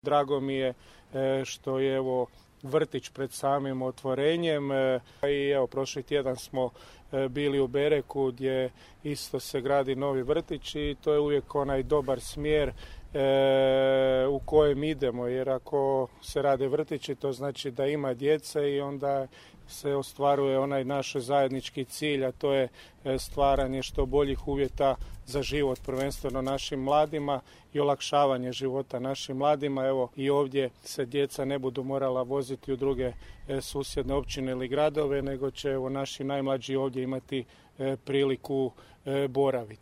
Drago mi je što je vrtić pred samim otvorenjem i prošli tjedan smo bili u Bereku gdje isto se gradi novi vrtić i to je uvijek onaj dobar smjer u kojem idemo, jer ako se rade vrtići to znači da ima djece i onda se ostvaruje onaj naš zajednički cilj, a to je stvaranje što boljih uvjeta za život, prvenstveno našim mladima i olakšavanje života našim mladima. I ovdje se djeca ne budu morala voziti u druge susjedne općine ili gradove, nego će naši najmlađi ovdje imati priliku boraviti.